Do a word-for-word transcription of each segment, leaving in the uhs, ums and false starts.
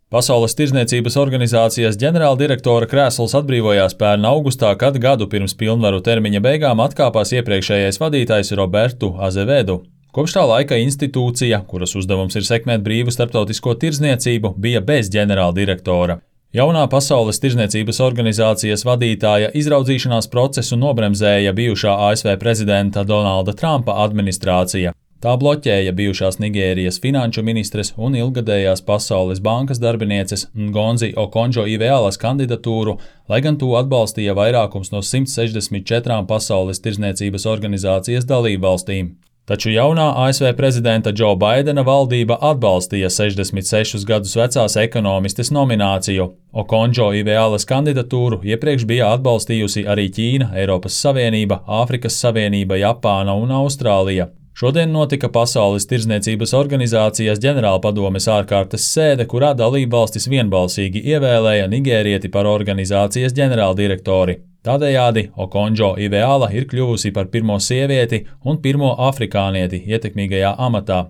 Pasaules tirdzniecības organizācijas ģenerāldirektora krēsls atbrīvojās pērn augustā, kad gadu pirms pilnvaru termiņa beigām atkāpās iepriekšējais vadītājs Robertu Azevedu. Kopš tā laika institūcija, kuras uzdevums ir sekmēt brīvu starptautisko tirdzniecību, bija bez ģenerāldirektora. Jaunā Pasaules tirdzniecības organizācijas vadītāja izraudzīšanās procesu nobremzēja bijušā A S V prezidenta Donalda Trumpa administrācija. Tā bloķēja bijušās Nigērijas finanšu ministres un ilgadējās Pasaules bankas darbinieces Ngonzi Okonjo-Ivealas kandidatūru, lai gan to atbalstīja vairākums no simt sešdesmit četrām Pasaules tirdzniecības organizācijas dalībvalstīm. Taču jaunā A S V prezidenta Džo Baidena valdība atbalstīja sešdesmit sešus gadus vecās ekonomistes nomināciju. Okonjo-Ivealas kandidatūru iepriekš bija atbalstījusi arī Ķīna, Eiropas Savienība, Āfrikas Savienība, Japāna un Austrālija. Šodien notika Pasaules tirdzniecības organizācijas ģenerālpadomes ārkārtas sēde, kurā dalībvalstis vienbalsīgi ievēlēja nigērieti par organizācijas ģenerāldirektori. Tādējādi Okonjo-Iveala ir kļuvusi par pirmo sievieti un pirmo afrikānieti ietekmīgajā amatā.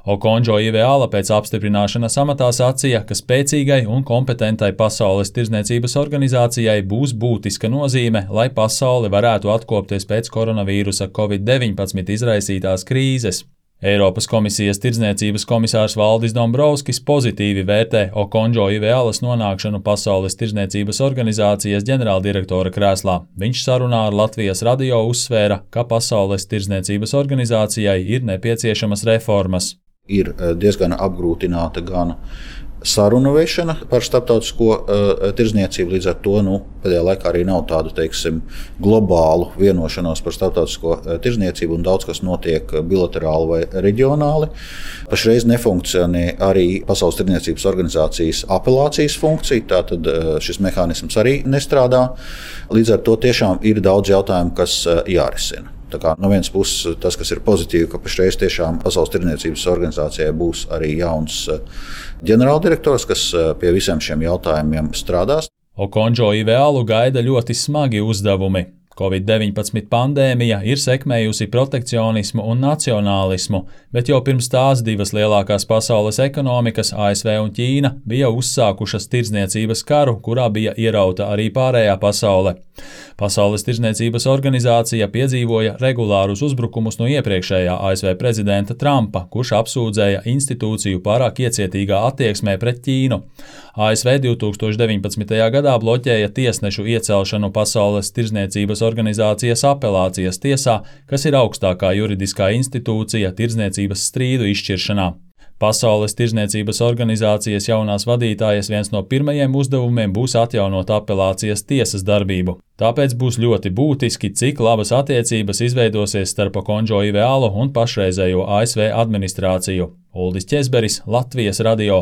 Okonjo-Iveala pēc apstiprināšanas amatā sacīja, ka spēcīgai un kompetentai Pasaules tirdzniecības organizācijai būs būtiska nozīme, lai pasaule varētu atkopties pēc koronavīrusa covid deviņpadsmit izraisītās krīzes. Eiropas komisijas tirdzniecības komisārs Valdis Dombrovskis pozitīvi vērtē Okonjo-Ivealas nonākšanu Pasaules tirdzniecības organizācijas ģenerāldirektora krēslā. Viņš sarunā ar Latvijas radio uzsvēra, ka Pasaules tirdzniecības organizācijai ir nepieciešamas reformas. Ir diezgan apgrūtināta gan sarunu vešana par starptautisko uh, tirdzniecību, līdz ar to nu, pēdējā laikā arī nav tādu, teiksim, globālu vienošanos par starptautisko uh, tirdzniecību un daudz kas notiek bilaterāli vai reģionāli. Pašreiz nefunkcionē arī Pasaules tirdzniecības organizācijas apelācijas funkcija, tātad uh, šis mehānisms arī nestrādā. Līdz ar to tiešām ir daudz jautājumu, kas uh, jārisina. Tā kā no vienas puses tas, kas ir pozitīvi, ka pašreiz tiešām Pasaules tirdzniecības organizācijai būs arī jauns ģenerāldirektors, kas pie visiem šiem jautājumiem strādās. Okonjo-Ivealu gaida ļoti smagi uzdevumi. covid deviņpadsmit pandēmija ir sekmējusi protekcionismu un nacionālismu, bet jau pirms tās divas lielākās pasaules ekonomikas, A S V un Ķīna, bija uzsākušas tirdzniecības karu, kurā bija ierauta arī pārējā pasaule. Pasaules tirdzniecības organizācija piedzīvoja regulārus uzbrukumus no iepriekšējā A S V prezidenta Trumpa, kurš apsūdzēja institūciju pārāk iecietīgā attieksmē pret Ķīnu. A S V divtūkstoš deviņpadsmitajā gadā bloķēja tiesnešu iecelšanu Pasaules tirdzniecības organizācijas apelācijas tiesā, kas ir augstākā juridiskā institūcija tirdzniecības strīdu izšķiršanā. Pasaules tirdzniecības organizācijas jaunās vadītājas viens no pirmajiem uzdevumiem būs atjaunot apelācijas tiesas darbību. Tāpēc būs ļoti būtiski, cik labas attiecības izveidosies starp Okonjo-Ivealu un pašreizējo A S V administrāciju. Uldis Ķezberis, Latvijas radio.